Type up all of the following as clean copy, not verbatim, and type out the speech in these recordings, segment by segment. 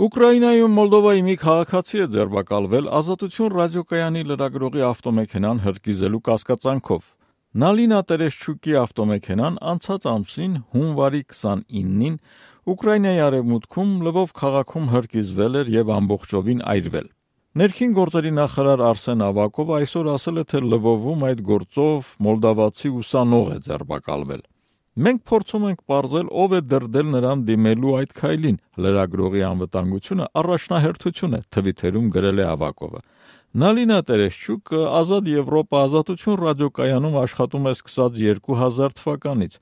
Ուկրաինայում Մոլդովայի մի քաղաքացի է ձերբակալվել Ազատություն ռադիոկայանի լրագրողի ավտոմեքենան հրկիզելու կասկածանքով։ Նալինա Տերեշչուկի ավտոմեքենան անցած ամսին հունվարի 29-ին Ուկրաինայի արևմուտքում Լվով քաղաքում հրկիզվել էր եւ ամբողջովին այրվել։ Ներքին գործերի նախարար Արսեն Ավակովը այսօր ասել է, թե Լվովում այդ գործով մոլդավացի ուսանող է ձերբակալվել։ Մենք փորձում ենք պարզել, ով է դրդել նրան դիմելու այդ քայլին, լրագրողի անվտանգությունը առաջնահերթություն է, թվիթերում գրել է Ավակովը։ Նալինա Տերեշչուկը Ազատ Եվրոպա Ազատություն ռադիոկայանում աշխատում է սկսած 2000 թվականից։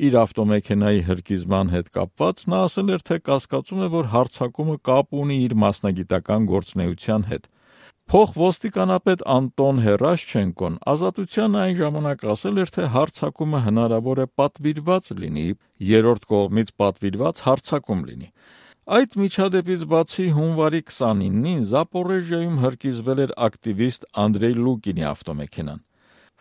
Իր ավտոմեքենայի հրկիզման հետ կապված նա ասել էր, թե կասկածում է, որ հարձակումը կապ ունի իր մասնագիտական գործունեության հետ։ Փոխոստիկանապետ Անտոն Հերաշչենկոն Ազատության այն ժամանակ ասել էր, թե հարձակումը հնարավոր է պատվիրված լինի, երրորդ կողմից պատվիրված հարձակում լինի։ Այդ միջադեպից բացի հունվարի 29-ին Զապորեժիայում հրկիզվել էր ակտիվիստ Անդրեյ Լուկինի ավտոմեքենան։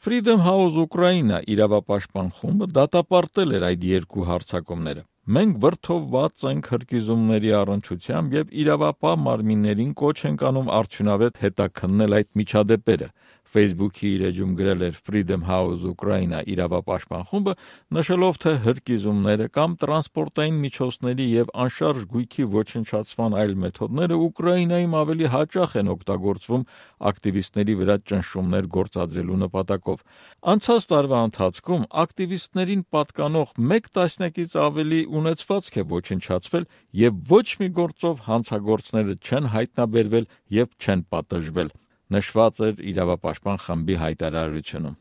Freedom House Ukraine իրավապաշտպան խումբը դատապարտել էր այդ երկու հարձակումները։ Մենք վրդովված ենք հրկիզումների առնչությամբ եւ իրավապահ մարմիններին կոչ ենք անում արդյունավետ հետաքննել այդ միջադեպերը, Facebook-ի իր էջում գրել էր Freedom House Ukraine իրավապաշտպան խումբը, նշելով, թե հրկիզումները կամ տրանսպորտային միջոցների եւ անշարժ գույքի ոչնչացման այլ մեթոդները Ուկրաինայում ավելի հաճախ են օգտագործվում ակտիվիստների վրա ճնշումներ գործադրելու նպատակով։ Անցած տարվա ընթացքում ակտիվիստներին պատկանող 1 տասնյակից ավելի ունեցվածք է ոչնչացվել եւ ոչ մի գործով հանցագործները չեն հայտնաբերվել եւ չեն պատժվել, նշված էր իրավապաշտպան խմբի հայտարարությունում։